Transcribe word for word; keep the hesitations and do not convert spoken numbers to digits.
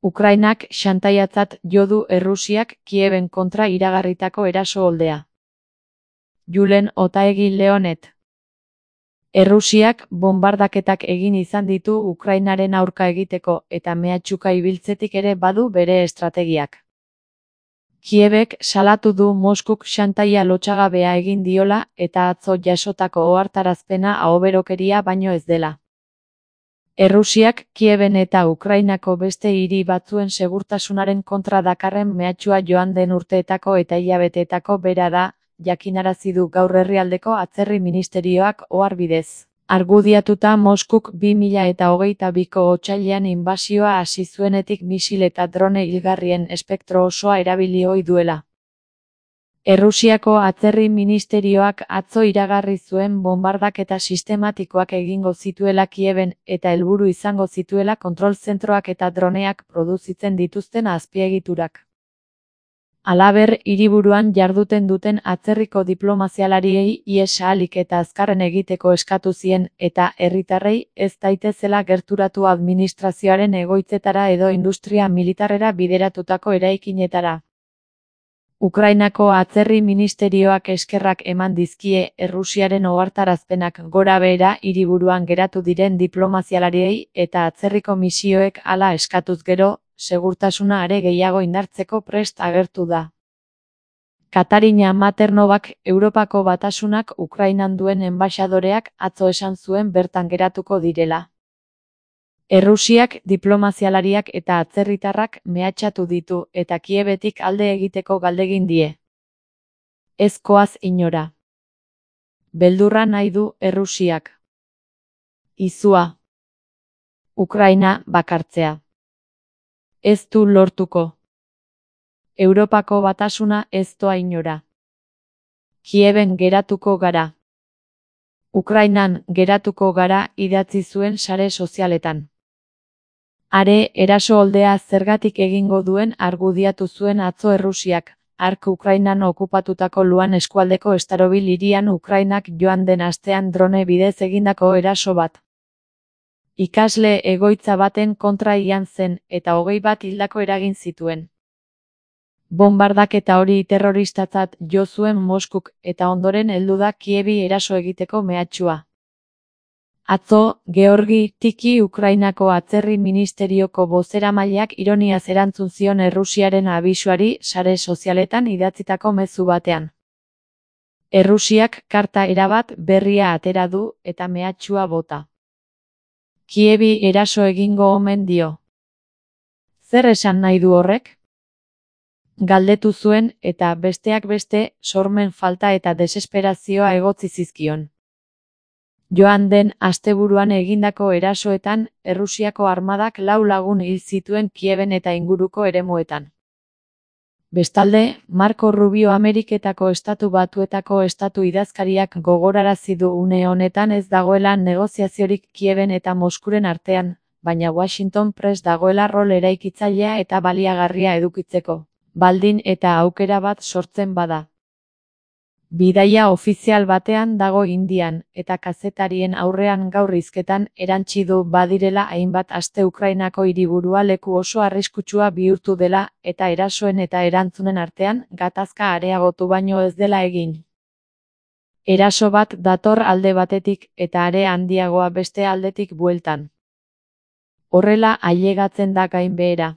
Ukrainak xantaiatzat jo du Errusiak Kieben kontra iragarritako eraso oldea. Julen Otaegi Leonet. Errusiak bonbardaketak egin izan ditu Ukrainaren aurka egiteko eta mehatxuka ibiltzetik ere badu bere estrategiak. Kiebek salatu du Moskuk xantaia lotsagabea egin diola eta atzo jasotako ohartarazpena ahoberokeria baino ez dela. Errusiak Kieben eta Ukrainako beste hiri batzuen segurtasunaren kontra dakarren mehatxua joan den urteetako eta hilabeteetako bera da, jakinarazi du gaur herrialdeko atzerri ministerioak ohar bidez. Argudiatuta Moskuk bi mila eta hogeita biko otsailean inbasioa hasi zuenetik misil eta drone hilgarrien espektro osoa erabili ohi duela. Errusiako atzerri ministerioak atzo iragarri zuen bonbardaketa sistematikoak egingo zituela Kieben eta helburu izango zituela kontrol zentroak eta droneak produzitzen dituzten azpiegiturak. Halaber, hiriburuan jarduten duten atzerriko diplomazialariei ihes ahalik eta azkarren egiteko eskatu zien eta herritarrei ez daitezela gerturatu administrazioaren egoitzetara edo industria militarrera bideratutako eraikinetara. Ukrainako atzerri ministerioak eskerrak eman dizkie Errusiaren ohartarazpenak gora behera hiriburuan geratu diren diplomazialariei eta atzerriko misioek hala eskatuz gero, segurtasuna are gehiago indartzeko prest agertu da. Katarina Maternovak Europako Batasunak Ukrainan duen enbaxadoreak atzo esan zuen bertan geratuko direla. Errusiak diplomazialariak eta atzerritarrak mehatxatu ditu eta Kiebetik alde egiteko galdegin die. Ez koaz inora. Beldurra nahi du Errusiak. Izua. Ukraina bakartzea. Ez du lortuko. Europako Batasuna ez doa inora. Kieben geratuko gara. Ukrainan geratuko gara idatzi zuen sare sozialetan. Are, eraso oldea zergatik egingo duen argudiatu zuen atzo Errusiak, hark Ukrainan okupatutako Luhan eskualdeko Starobil hirian Ukrainak joan den astean drone bidez egindako eraso bat. Ikasle egoitza baten kontra ian zen eta hogei bat hildako eragin zituen. Bonbardaketa hori terroristatzat jo zuen Moskuk eta ondoren heldu da Kiebi eraso egiteko mehatxua. Atzo, Georgi Tiki Ukrainako atzerri ministerioko bozeramaileak ironiaz erantzun zion Errusiaren abisuari sare sozialetan idatzitako mezu batean. Errusiak karta erabat berria atera du eta mehatxua bota. Kiebi eraso egingo omen dio. Zer esan nahi du horrek? Galdetu zuen eta besteak beste sormen falta eta desesperazioa egotzi zizkion. Joan den asteburuan egindako erasoetan, Errusiako armadak lau lagun hil zituen Kieben eta inguruko eremuetan. Bestalde, Marco Rubio Ameriketako Estatu Batuetako estatu idazkariak gogorarazi du une honetan ez dagoela negoziaziorik Kieben eta Moskuren artean, baina Washington prest dagoela rol eraikitzailea eta baliagarria edukitzeko, baldin eta aukera bat sortzen bada. Bidaia ofizial batean dago Indian, eta kazetarien aurrean gaur hizketan erantsi du badirela hainbat aste Ukrainako hiriburua leku oso arriskutsua bihurtu dela eta erasoen eta erantzunen artean gatazka areagotu baino ez dela egin. Eraso bat dator alde batetik eta are handiagoa beste aldetik bueltan. Horrela ailegatzen da gainbehera.